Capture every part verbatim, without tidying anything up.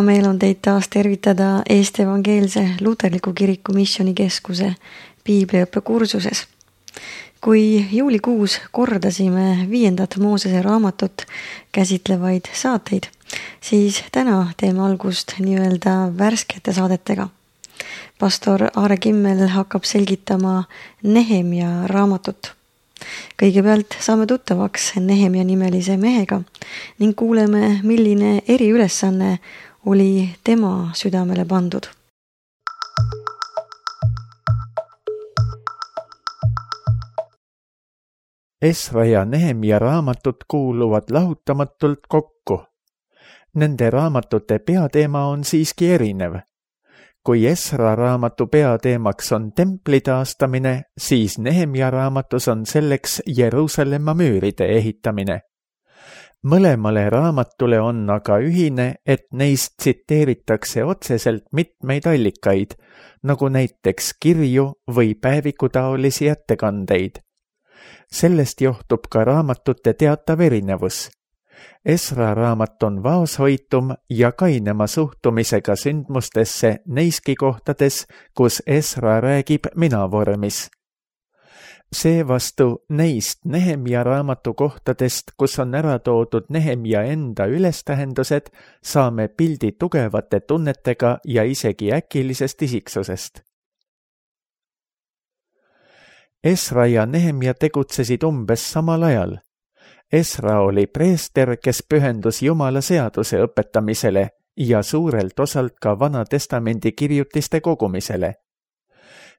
hea meel on teid taas tervitada Eesti Evangeelse Luterliku Kiriku Missioonikeskuse piibliõppe kursuses. Kui juulikuus kordasime viiendat Moosese raamatut käsitlevaid saateid, siis täna teeme algust nii-öelda värskete saadetega. Pastor Aare Kimmel hakkab selgitama Nehemia raamatut. Kõigepealt saame tuttavaks Nehemia nimelise mehega ning kuuleme, milline eriülesanne oli tema südamele pandud. Esra ja Nehemia raamatud kuuluvad lahutamatult kokku. Nende raamatute peateema on siiski erinev. Kui Esra raamatu peateemaks on templi taastamine, siis Nehemia raamatus on selleks Jeruusalemma müüride ehitamine. Mõlemale raamatule on aga ühine, et neist tsiteeritakse otseselt mitmeid allikaid, nagu näiteks kirju või päevikutaolisi ettekandeid. Sellest johtub ka raamatute teatav erinevus. Esra raamat on vaoshoitum ja kainema suhtumisega sündmustesse neiski kohtades, kus Esra räägib mina-vormis. Seevastu neist Nehemia raamatu kohtadest, kus on ära toodud Nehemia enda ülestähendused, saame pildi tugevate tunnetega ja isegi äkilisest isiksusest. Esra ja Nehemia tegutsesid umbes samal ajal. Esra oli preester, kes pühendus Jumala seaduse õpetamisele ja suurelt osalt ka Vana Testamendi kirjutiste kogumisele.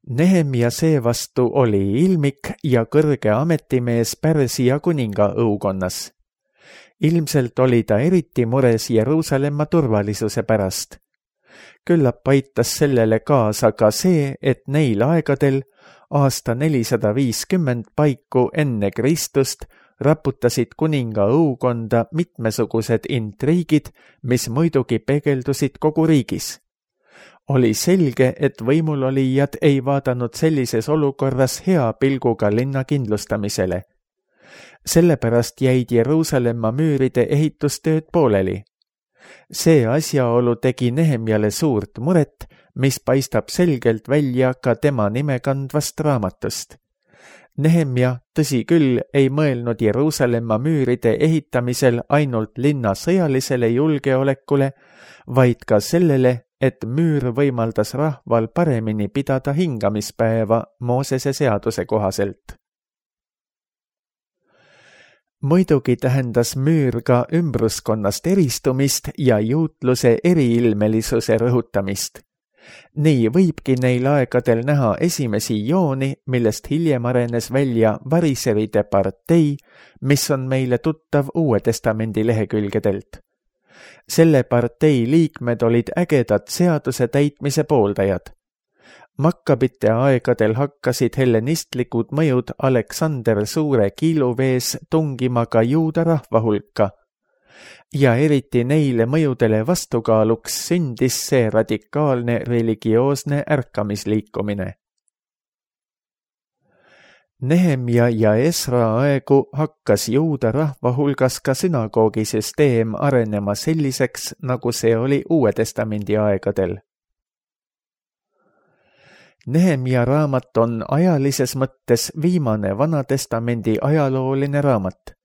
Nehemia seevastu oli ilmik ja kõrge ametimees Pärsia kuninga õukonnas. Ilmselt oli ta eriti mures Jeruusalemma turvalisuse pärast. Küllap aitas sellele kaasa ka see, et neil aegadel aasta nelisada viiskümmend paiku enne Kristust raputasid kuninga õukonda mitmesugused intriigid, mis muidugi peegeldusid kogu riigis. Oli selge, et võimulolijad ei vaadanud sellises olukorras hea pilguga linna kindlustamisele. Sellepärast jäid Jeruusalemma müüride ehitustööd pooleli. See asjaolu tegi Nehemjale suurt muret, mis paistab selgelt välja ka tema nime kandvast raamatust. Nehemia, tõsi küll, ei mõelnud Jeruusalemma müüride ehitamisel ainult linna sõjalisele julgeolekule, vaid ka sellele, et müür võimaldas rahval paremini pidada hingamispäeva Moosese seaduse kohaselt. Muidugi tähendas müür ka ümbruskonnast eristumist ja juutluse eriilmelisuse rõhutamist. Nii võibki neil aegadel näha esimesi jooni, millest hiljem arenes välja variseride partei, mis on meile tuttav Uue Testamendi lehekülgedelt. Selle partei liikmed olid ägedad seaduse täitmise pooldajad. Makkabite aegadel hakkasid hellenistlikud mõjud Aleksander Suure kiiluvees tungima ka juuda rahva hulka. Ja eriti neile mõjudele vastukaaluks sündis see radikaalne religioosne ärkamisliikumine. Nehemia ja Esra aegu hakkas juuda rahva hulgas ka sünagoogisüsteem arenema selliseks, nagu see oli Uue Testamendi aegadel. Nehemia raamat on ajalises mõttes viimane Vana Testamendi ajalooline raamat.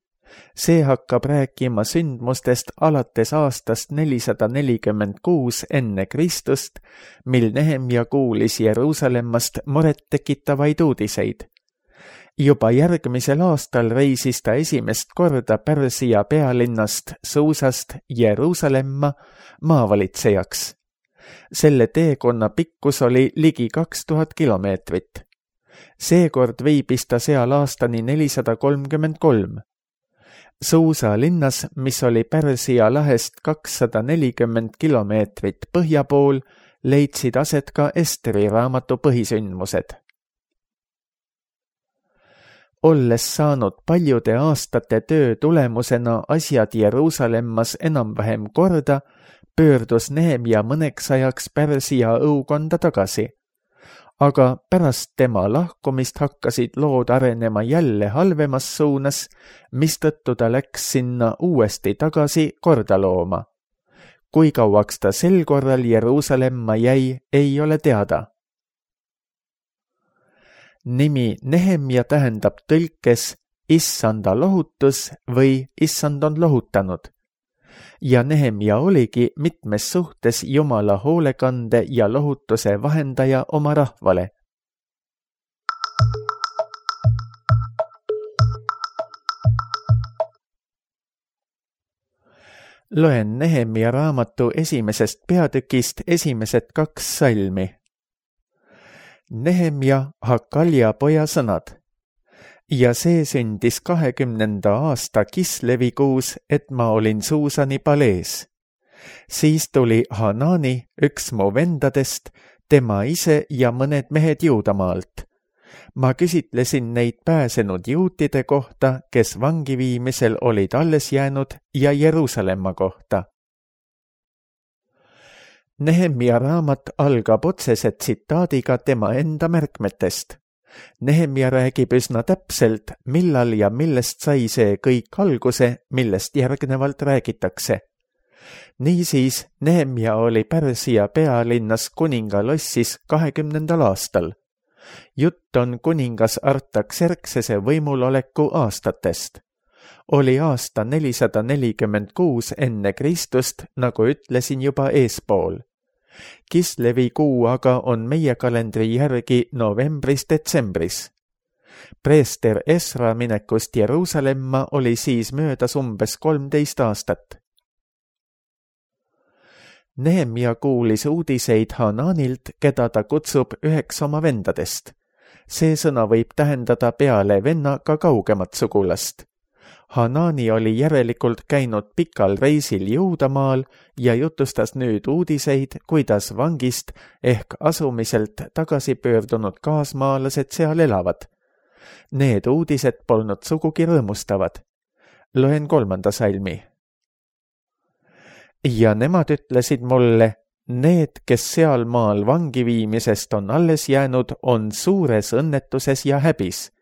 See hakkab rääkima sündmustest alates aastast nelisada nelikümmend kuus enne Kristust, mil Nehemia kuulis Jeruusalemmast muret tekitavaid uudiseid. Juba järgmisel aastal reisis ta esimest korda Pärsia pealinnast Suusast Jeruusalemma maavalitsejaks. Selle teekonna pikkus oli ligi kaks tuhat kilomeetrit. Seekord viibis ta seal aastani nelisada kolmkümmend kolm. Suusa linnas, mis oli Pärsia lahest kakssada nelikümmend kilomeetrit põhja pool, leidsid aset ka Esteri raamatu põhisündmused. Olles saanud paljude aastate töö tulemusena asjad Jeruusalemmas enam-vähem korda, pöördus Nehemia mõneks ajaks Pärsia õukonda tagasi. Aga pärast tema lahkumist hakkasid lood arenema jälle halvemas suunas, mistõttu ta läks sinna uuesti tagasi korda looma. kui kauaks ta sel korral Jeruusalemma jäi, ei ole teada. Nimi Nehemia tähendab tõlkes issanda lohutus või issand on lohutanud. Ja Nehemia oligi mitmes suhtes Jumala hoolekande ja lohutuse vahendaja oma rahvale. Loen Nehemia raamatu esimesest peatükist esimesed kaks salmi. Nehemia Hakalja poja sõnad. Ja see sündis kahekümnenda aasta Kislevi kuus, et ma olin Suusani palees. Siis tuli Hanani, üks mu vendadest, tema ise ja mõned mehed Juudamaalt. Ma küsitlesin neid pääsenud juutide kohta, kes vangiviimisel olid alles jäänud, ja Jeruusalemma kohta. Nehemia raamat algab otsese tsitaadiga tema enda märkmetest. Nehemia räägib üsna täpselt, millal ja millest sai see kõik alguse, millest järgnevalt räägitakse. Niisiis, Nehemia oli Pärsia pealinnas kuningalossis kahekümnendal aastal. Jutt on kuningas Artaxerxese võimuloleku aastatest. Oli aasta nelisada nelikümmend kuus enne Kristust, nagu ütlesin juba eespool. Kislevi kuu aga on meie kalendri järgi novembris-detsembris. Preester Esra minekust Jeruusalemma oli siis möödas umbes kolmteist aastat. Nehemia kuulis uudiseid Hananilt, keda ta kutsub üheks oma vendadest. See sõna võib tähendada peale venna ka kaugemat sugulast. Hanani oli järelikult käinud pikal reisil Juudamaal ja jutustas nüüd uudiseid, kuidas vangist ehk asumiselt tagasi pöördunud kaasmaalased seal elavad. Need uudised polnud sugugi rõõmustavad. Loen kolmanda salmi. Ja nemad ütlesid mulle, need, kes seal maal vangiviimisest on alles jäänud, on suures õnnetuses ja häbis.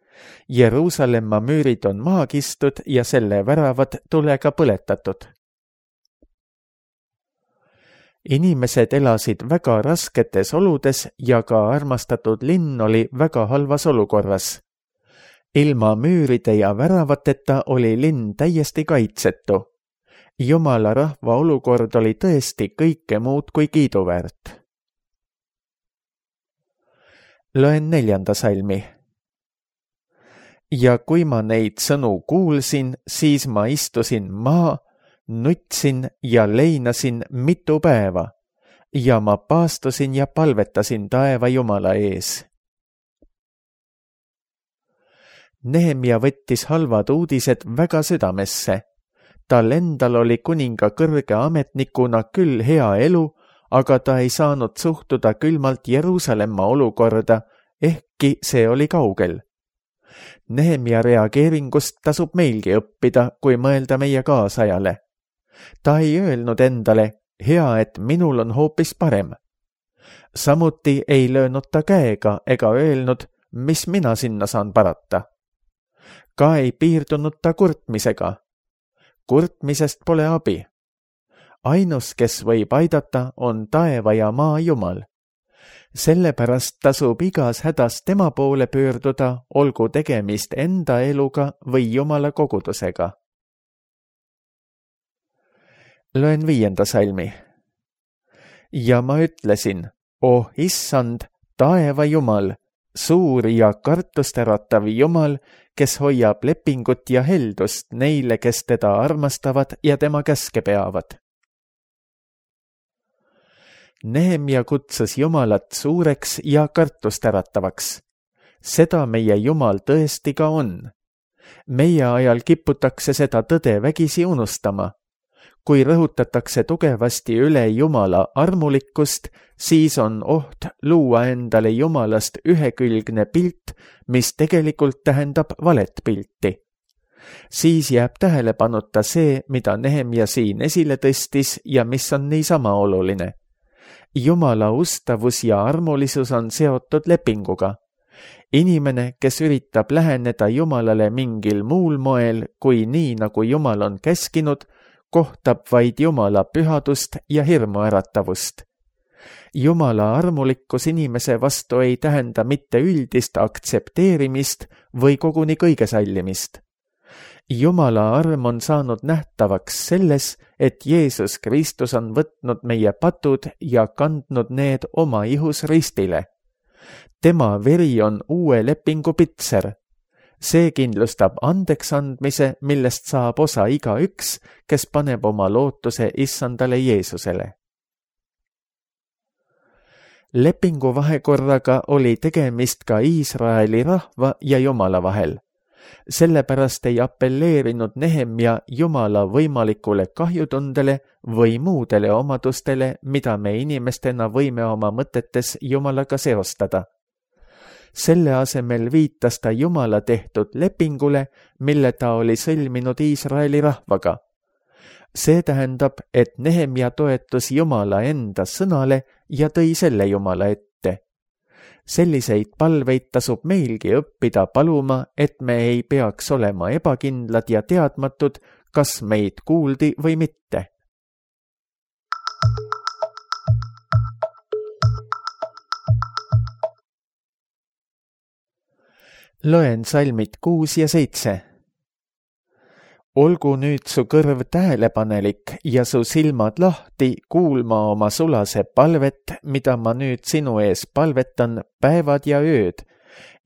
Jeruusalemma müürid on maha kistud ja selle väravad tulega põletatud. Inimesed elasid väga rasketes oludes ja ka armastatud linn oli väga halvas olukorras. Ilma müüride ja väravateta oli linn täiesti kaitsetu. Jumala rahva olukord oli tõesti kõike muud kui kiiduväärt. Loen neljanda salmi. Ja kui ma neid sõnu kuulsin, siis ma istusin maa, nutsin ja leinasin mitu päeva ja ma paastusin ja palvetasin taeva Jumala ees. Nehemia võttis halvad uudised väga südamesse. Tal endal oli kuninga kõrge ametnikuna küll hea elu, aga ta ei saanud suhtuda külmalt Jeruusalemma olukorda, ehkki see oli kaugel. Nehemia reageeringust tasub meilgi õppida, kui mõelda meie kaasajale. Ta ei öelnud endale, hea, et minul on hoopis parem. Samuti ei löönud ta käega ega öelnud, mis mina sinna saan parata. Ka ei piirdunud ta kurtmisega. Kurtmisest pole abi. Ainus, kes võib aidata, on taeva ja maa Jumal. Sellepärast tasub igas hädas tema poole pöörduda, olgu tegemist enda eluga või Jumala kogudusega. Loen viienda salmi. Ja ma ütlesin, oh issand, taeva Jumal, suur ja kartusteratav Jumal, kes hoiab lepingut ja heldust neile, kes teda armastavad ja tema käske peavad. Nehemia kutsus Jumalat suureks ja kartusteratavaks. Seda meie Jumal tõesti ka on. Meie ajal kiputakse seda tõde vägisi unustama. Kui rõhutatakse tugevasti üle Jumala armulikkust, siis on oht luua endale Jumalast ühekülgne pilt, mis tegelikult tähendab valet pilti. Siis jääb tähelepanuta see, mida Nehemia siin esile tõstis ja mis on niisama oluline. Jumala ustavus ja armulisus on seotud lepinguga. Inimene, kes üritab läheneda Jumalale mingil muul moel kui nii, nagu Jumal on käskinud, kohtab vaid Jumala pühadust ja hirmuäratavust. Jumala armulikkus inimese vastu ei tähenda mitte üldist aktsepteerimist või koguni kõige sallimist. Jumala arm on saanud nähtavaks selles, et Jeesus Kristus on võtnud meie patud ja kandnud need oma ihus ristile. Tema veri on uue lepingu pitser. See kindlustab andeks andmise, millest saab osa igaüks, kes paneb oma lootuse issandale Jeesusele. Lepingu vahekorraga oli tegemist ka Iisraeli rahva ja Jumala vahel. Sellepärast ei apelleerinud Nehemja Jumala võimalikule kahjutundele või muudele omadustele, mida me inimestena võime oma mõtetes Jumalaga seostada. Selle asemel viitas ta Jumala tehtud lepingule, mille ta oli sõlminud Iisraeli rahvaga. See tähendab, et Nehemja toetus Jumala enda sõnale ja tõi selle Jumala ette. Selliseid palveid tasub meilgi õppida paluma, et me ei peaks olema ebakindlad ja teadmatud, kas meid kuuldi või mitte. Loen salmid kuus ja seitse. Olgu nüüd su kõrv tähelepanelik ja su silmad lahti kuulma oma sulase palvet, mida ma nüüd sinu ees palvetan päevad ja ööd,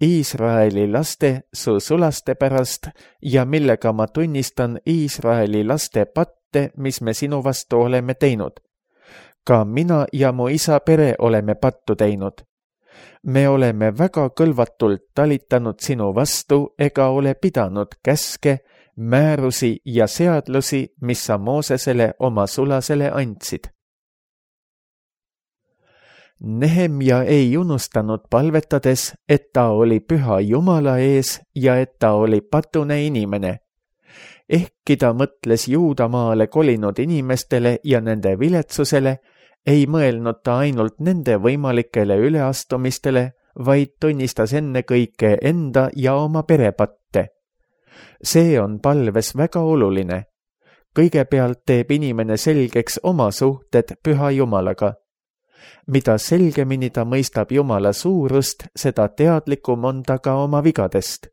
Iisraeli laste su sulaste pärast ja millega ma tunnistan Iisraeli laste patte, mis me sinu vastu oleme teinud. Ka mina ja mu isa pere oleme pattu teinud. Me oleme väga kõlvatult talitanud sinu vastu ega ole pidanud käske, määrusi ja seadlusi, mis sa Moosesele oma sulasele andsid. Nehemja ei unustanud palvetades, et ta oli püha Jumala ees ja et ta oli patune inimene. Ehkki ta mõtles Juudamaale kolinud inimestele ja nende viletsusele, ei mõelnud ta ainult nende võimalikele üleastumistele, vaid tunnistas ennekõike enda ja oma perepatte. See on palves väga oluline. Kõigepealt teeb inimene selgeks oma suhted püha Jumalaga. Mida selgemini ta mõistab Jumala suurust, seda teadlikum on ta ka oma vigadest.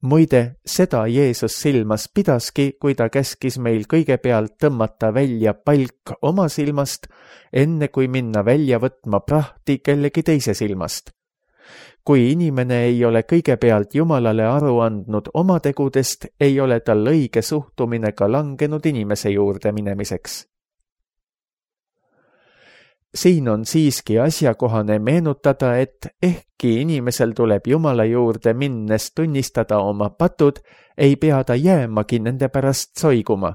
Muide, seda Jeesus silmas pidaski, kui ta käskis meil kõigepealt tõmmata välja palk oma silmast, enne kui minna välja võtma prahti kellegi teise silmast. Kui inimene ei ole kõigepealt Jumalale aru andnud oma tegudest, ei ole tal õige suhtumine ka langenud inimese juurde minemiseks. Siin on siiski asjakohane meenutada, et ehkki inimesel tuleb Jumala juurde minnes tunnistada oma patud, ei pea ta jäämagi nende pärast soiguma.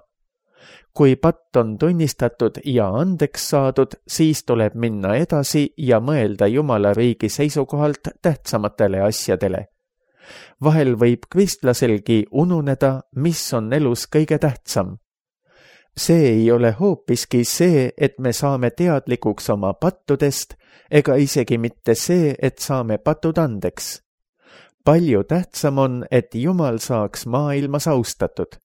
Kui patt on tunnistatud ja andeks saadud, siis tuleb minna edasi ja mõelda Jumala riigi seisukohalt tähtsamatele asjadele. Vahel võib kristlaselgi ununeda, mis on elus kõige tähtsam. See ei ole hoopiski see, et me saame teadlikuks oma pattudest, ega isegi mitte see, et saame patud andeks. Palju tähtsam on, et Jumal saaks maailmas austatud.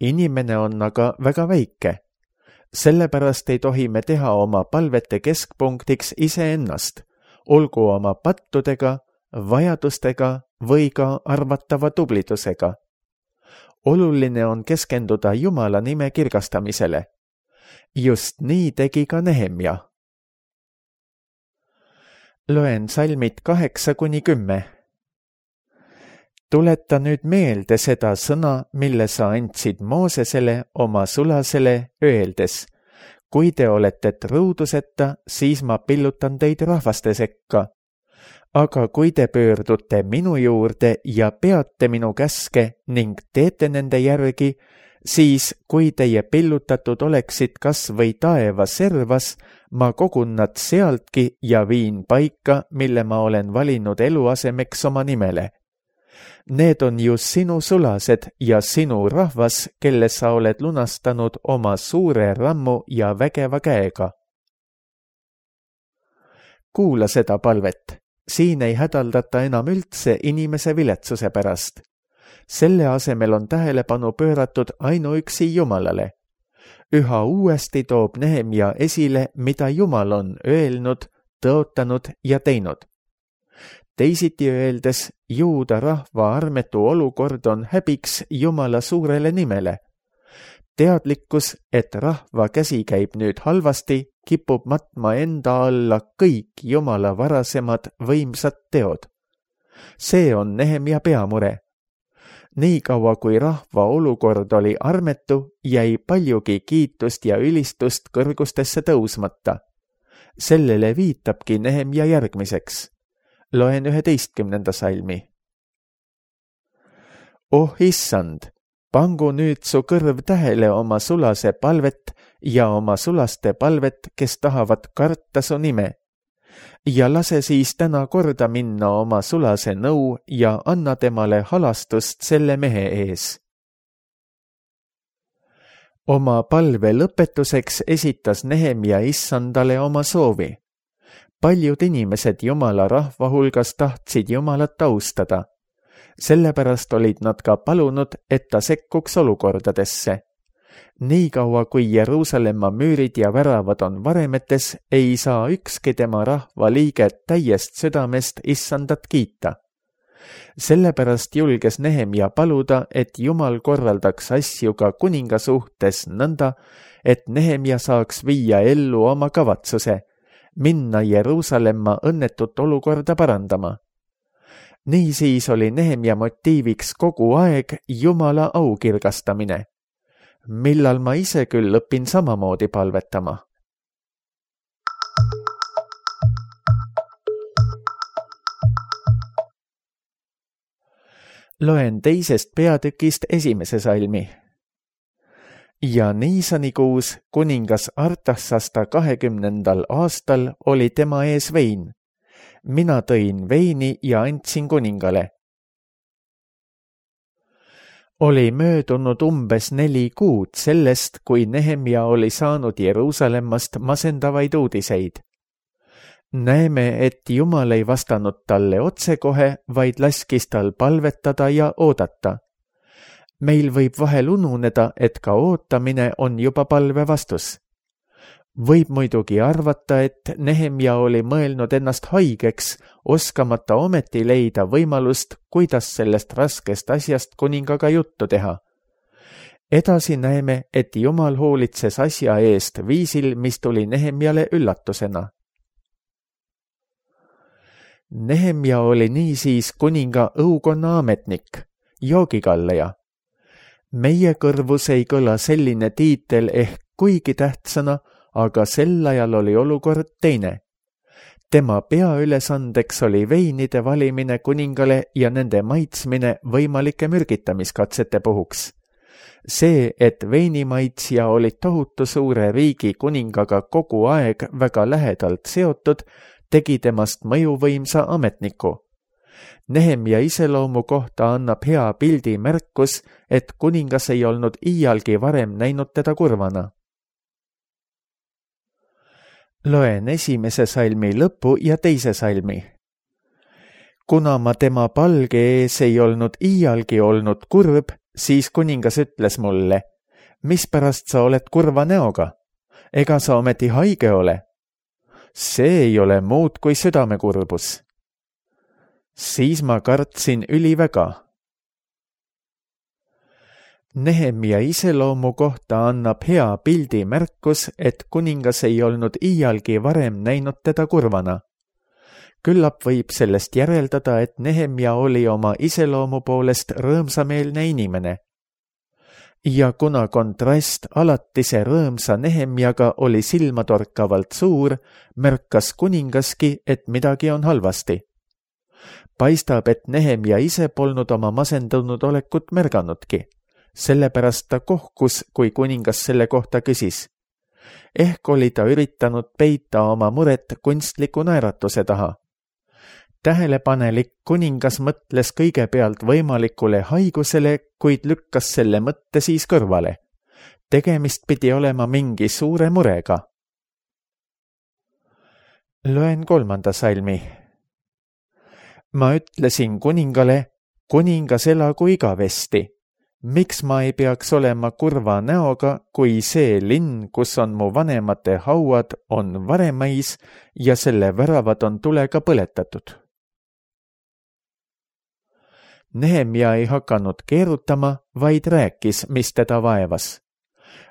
Inimene on aga väga väike. Sellepärast ei tohi me teha oma palvete keskpunktiks iseennast, olgu oma pattudega, vajadustega või ka arvatava tublidusega. Oluline on keskenduda Jumala nime kirgastamisele. Just nii tegi ka Nehemja. Loen salmid kaheksa kuni kümme. Tuleta nüüd meelde seda sõna, mille sa andsid Moosesele oma sulasele, öeldes, kui te olete truuduseta, siis ma pillutan teid rahvaste sekka. Aga kui te pöördute minu juurde ja peate minu käske ning teete nende järgi, siis kui teie pillutatud oleksid kas või taeva servas, ma kogun nad sealtki ja viin paika, mille ma olen valinud eluasemeks oma nimele. Need on ju sinu sulased ja sinu rahvas, kelle sa oled lunastanud oma suure rammu ja vägeva käega. Kuula seda palvet. Siin ei hädaldata enam üldse inimese viletsuse pärast. Selle asemel on tähelepanu pööratud ainuüksi Jumalale. üha uuesti toob Nehemia esile, mida Jumal on öelnud, tõotanud ja teinud. Teisiti öeldes, juuda rahva armetu olukord on häbiks Jumala suurele nimele. Teadlikkus, et rahva käsi käib nüüd halvasti, kipub matma enda alla kõik Jumala varasemad võimsad teod. See on Nehemia peamure. Nii kaua kui rahva olukord oli armetu, jäi paljugi kiitust ja ülistust kõrgustesse tõusmata. Sellele viitabki Nehemia järgmiseks. Loen üheteistkümnenda salmi. Oh issand, pangu nüüd su kõrv tähele oma sulase palvet ja oma sulaste palvet, kes tahavad karta su nime. Ja lase siis täna korda minna oma sulase nõu ja anna temale halastust selle mehe ees. Oma palve lõpetuseks esitas Nehemia issandale oma soovi. Paljud inimesed Jumala rahva hulgas tahtsid Jumalat austada. Sellepärast olid nad ka palunud, et ta sekkuks olukordadesse. Nii kaua kui Jeruusalemma müürid ja väravad on varemetes, ei saa ükski tema rahva liige täiest südamest issandat kiita. Sellepärast julges Nehemia paluda, et Jumal korraldaks asju ka kuninga suhtes nõnda, et Nehemia saaks viia ellu oma kavatsuse, minna Jeruusalemma õnnetut olukorda parandama. Niisiis oli Nehemia motiiviks kogu aeg Jumala aukirgastamine. Millal ma ise küll õpin samamoodi palvetama. Loen teisest peatükist esimese salmi. Ja Niisanikuus kuningas Artaksasta kahekümnendal aastal oli tema ees vein. Mina tõin veini ja andsin kuningale. Oli möödunud umbes neli kuud sellest, kui Nehemia oli saanud Jeruusalemmast masendavaid uudiseid. Näeme, et Jumal ei vastanud talle otsekohe, vaid laskis tal palvetada ja oodata. Meil võib vahel ununeda, et ka ootamine on juba palve vastus. Võib muidugi arvata, et Nehemia oli mõelnud ennast haigeks, oskamata ometi leida võimalust, kuidas sellest raskest asjast kuningaga juttu teha. Edasi näeme, et Jumal hoolitses asja eest viisil, mis tuli Nehemiale üllatusena. Nehemia oli niisiis kuninga õukonna ametnik, joogikalleja. Meie kõrvus ei kõla selline tiitel ehk kuigi tähtsana, aga sel ajal oli olukord teine. Tema peaülesandeks oli veinide valimine kuningale ja nende maitsmine võimalike mürgitamiskatsete puhuks. See, et veinimaitsja oli tohutu suure riigi kuningaga kogu aeg väga lähedalt seotud, tegi temast mõjuvõimsa ametniku. Nehemia iseloomu kohta annab hea pildi märkus, et kuningas ei olnud iialgi varem näinud teda kurvana. Loen esimese salmi lõpu ja teise salmi. Kuna ma tema palge ees ei olnud iialgi olnud kurb, siis kuningas ütles mulle, mispärast sa oled kurva näoga? Ega sa ometi haige ole? See ei ole muud kui südamekurbus. Siis ma kartsin üliväga. Nehemia iseloomu kohta annab hea pildi märkus, et kuningas ei olnud iialgi varem näinud teda kurvana. Küllap võib sellest järeldada, et Nehemia oli oma iseloomu poolest rõõmsameelne inimene. Ja kuna kontrast alatise rõõmsa Nehemiaga oli silmatorkavalt suur, märkas kuningaski, et midagi on halvasti. Paistab, et Nehemia ise polnud oma masendunud olekut märganudki. Sellepärast ta kohkus, kui kuningas selle kohta küsis. Ehk oli ta üritanud peita oma muret kunstliku naeratuse taha. Tähelepanelik kuningas mõtles kõigepealt võimalikule haigusele, kuid lükkas selle mõtte siis kõrvale. Tegemist pidi olema mingi suure murega. Loen kolmanda salmi. Ma ütlesin kuningale, kuningas elagu igavesti. miks ma ei peaks olema kurva näoga, kui see linn, kus on mu vanemate hauad, on varemais ja selle väravad on tulega põletatud? Nehemia ei hakanud keerutama, vaid rääkis, mis teda vaevas.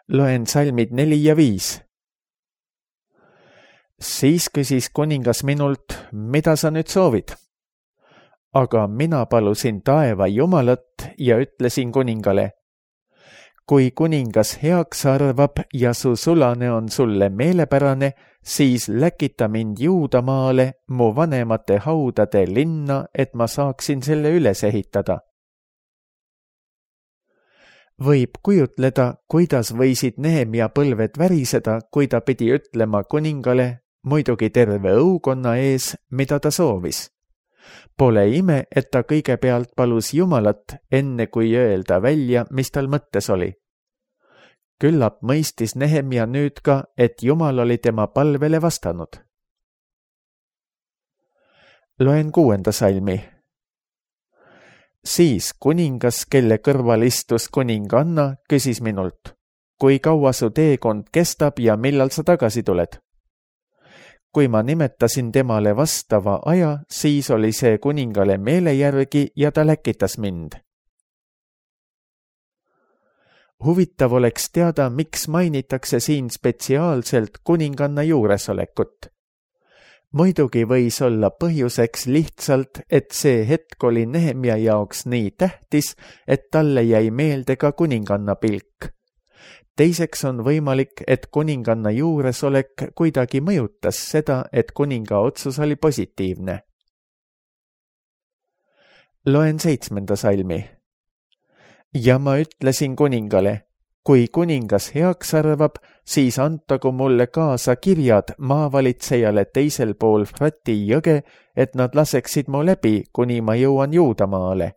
Loen salmid neli ja viis. Siis küsis kuningas minult, mida sa nüüd soovid? Aga mina palusin taeva jumalat ja ütlesin kuningale, kui kuningas heaks arvab ja su sulane on sulle meelepärane, siis läkita mind Juudamaale mu vanemate haudade linna, et ma saaksin selle üles ehitada. Võib kujutleda, kuidas võisid Nehemia põlved väriseda, kui ta pidi ütlema kuningale, muidugi terve õukonna ees, mida ta soovis. Pole ime, et ta kõigepealt palus Jumalat, enne kui öelda välja, mis tal mõttes oli. Küllap mõistis Nehemia nüüd ka, et Jumal oli tema palvele vastanud. Loen kuuenda salmi. Siis kuningas, kelle kõrval istus kuninganna, küsis minult, kui kaua su teekond kestab ja millal sa tagasi tuled? Kui ma nimetasin temale vastava aja, siis oli see kuningale meele järgi ja ta läkitas mind. Huvitav oleks teada, miks mainitakse siin spetsiaalselt kuninganna juuresolekut. Muidugi võis olla põhjuseks lihtsalt, et see hetk oli Nehemia jaoks nii tähtis, et talle jäi meelde ka kuninganna pilk. Teiseks on võimalik, et kuninganna juuresolek kuidagi mõjutas seda, et kuninga otsus oli positiivne. Loen seitsmenda salmi. Ja ma ütlesin kuningale, kui kuningas heaks arvab, siis antagu mulle kaasa kirjad maavalitsejale teisel pool Frati jõge, et nad laseksid mu läbi, kuni ma jõuan Juudamaale.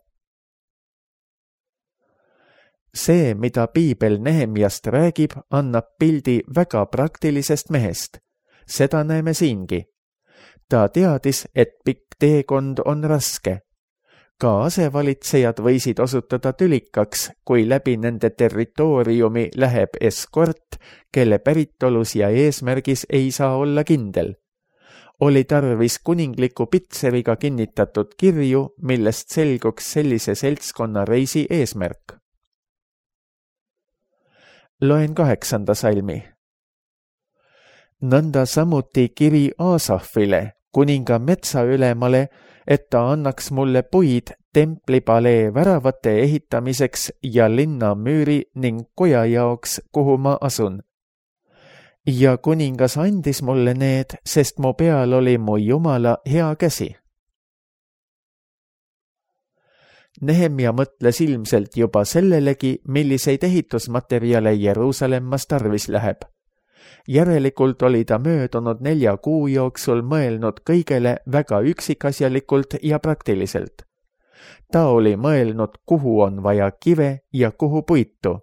See, mida piibel Nehemiast räägib, annab pildi väga praktilisest mehest. Seda näeme siingi. Ta teadis, et pikk teekond on raske. Ka asevalitsejad võisid osutada tülikaks, kui läbi nende territooriumi läheb eskort, kelle päritolus ja eesmärgis ei saa olla kindel. Oli tarvis kuningliku pitseriga kinnitatud kirju, millest selguks sellise seltskonna reisi eesmärk. Loen kaheksanda salmi. Nõnda samuti kiri Asafile, kuninga metsaülemale, et ta annaks mulle puid templipalee väravate ehitamiseks ja linna müüri ning koja jaoks, kuhu ma asun. Ja kuningas andis mulle need, sest mu peal oli mu Jumala hea käsi. Nehemia mõtles ilmselt juba sellelegi, milliseid ehitusmaterjale Jeruusalemmas tarvis läheb. Järelikult oli ta möödunud nelja kuu jooksul mõelnud kõigele väga üksikasjalikult ja praktiliselt. Ta oli mõelnud, kuhu on vaja kive ja kuhu puitu.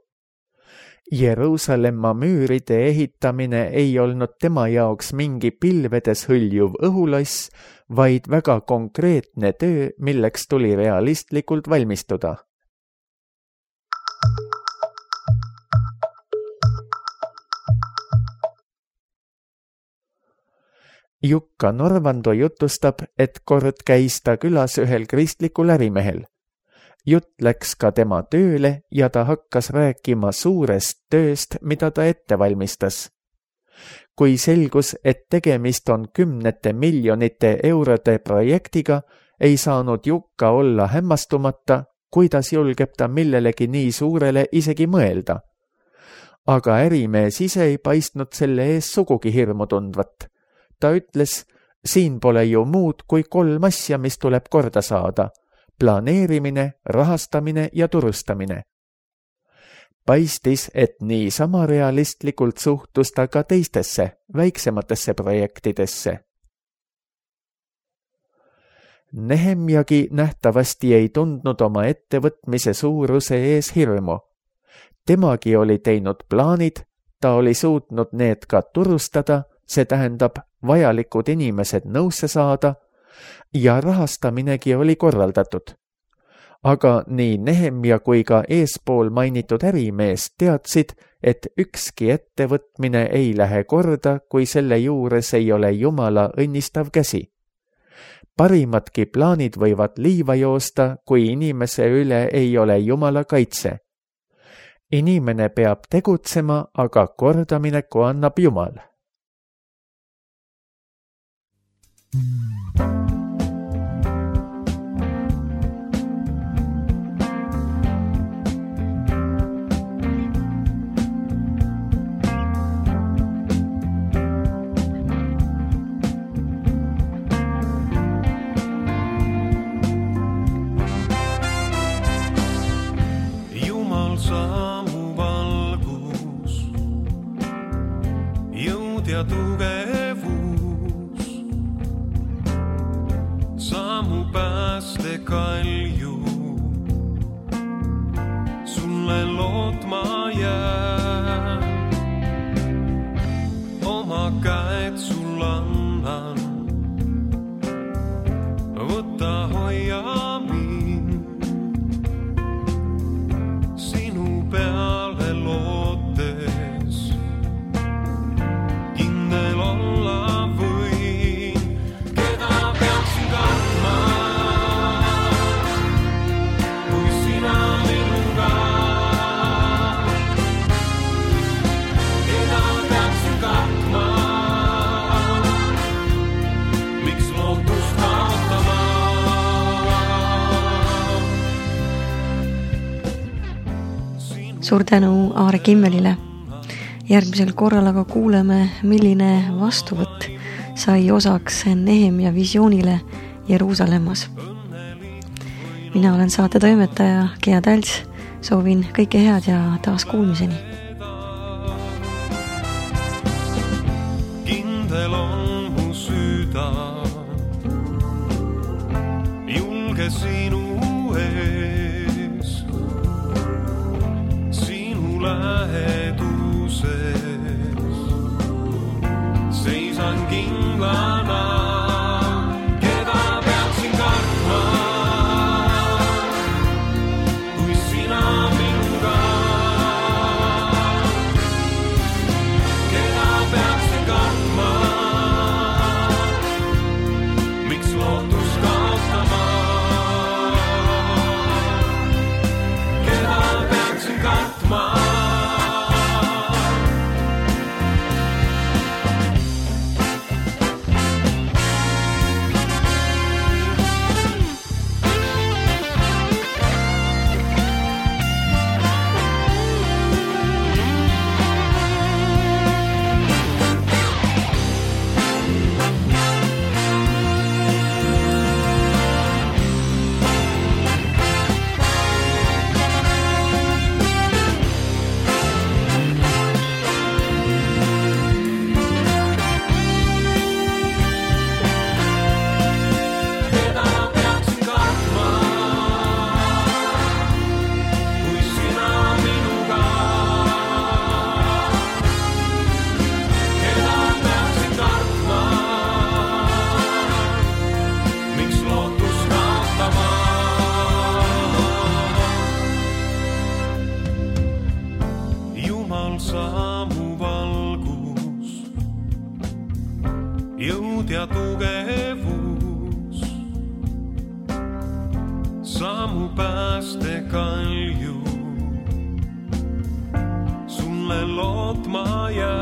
Jeruusalemma müüride ehitamine ei olnud tema jaoks mingi pilvedes hõljuv õhuloss, vaid väga konkreetne töö, milleks tuli realistlikult valmistuda. Jukka Norvando jutustab, et kord käis ta külas ühel kristlikul ärimehel. Jutt läks ka tema tööle ja ta hakkas rääkima suurest tööst, mida ta ette valmistas. Kui selgus, et tegemist on kümnete miljonite eurode projektiga, ei saanud Jukka olla hämmastumata, kuidas julgeb ta millelegi nii suurele isegi mõelda. Aga ärimees ise ei paistnud selle ees sugugi hirmu tundvat. Ta ütles, siin pole ju muud kui kolm asja, mis tuleb korda saada. Planeerimine, rahastamine ja turustamine. Paistis, et nii sama realistlikult suhtus ta ka teistesse, väiksematesse projektidesse. Nehemjagi nähtavasti ei tundnud oma ettevõtmise suuruse ees hirmu. Temagi oli teinud plaanid, ta oli suutnud need ka turustada, see tähendab vajalikud inimesed nõusse saada, ja rahastaminegi oli korraldatud. aga nii Nehemia kui ka eespool mainitud ärimees teadsid, et ükski ettevõtmine ei lähe korda, kui selle juures ei ole Jumala õnnistav käsi. Parimadki plaanid võivad liiva joosta, kui inimese üle ei ole Jumala kaitse. Inimene peab tegutsema, aga kordamineku annab Jumal. Ja tugevus, samu pääste kalju, sulle lootma jää, oma käed sul annan, võta hoia mind, sinu peale lootes. Suur tänu Aare Kimmelile. Järgmisel korral aga kuuleme, milline vastuvõtt sai osaks Nehemia visioonile Jeruusalemmas. Mina olen saate toimetaja Gea Tälts. Soovin kõike head ja taas kuulmiseni. Kindel on mu süda, julge sinu ees, sinu läheduses, seisan kindlana, keda peaksin kartma, kui sina minuga, keda peaksin kartma, miks lootus kaotama, keda peaksin kartma. Saamu valgus, jõud ja tugevus, saamu pääste kalju, sulle lootma jää.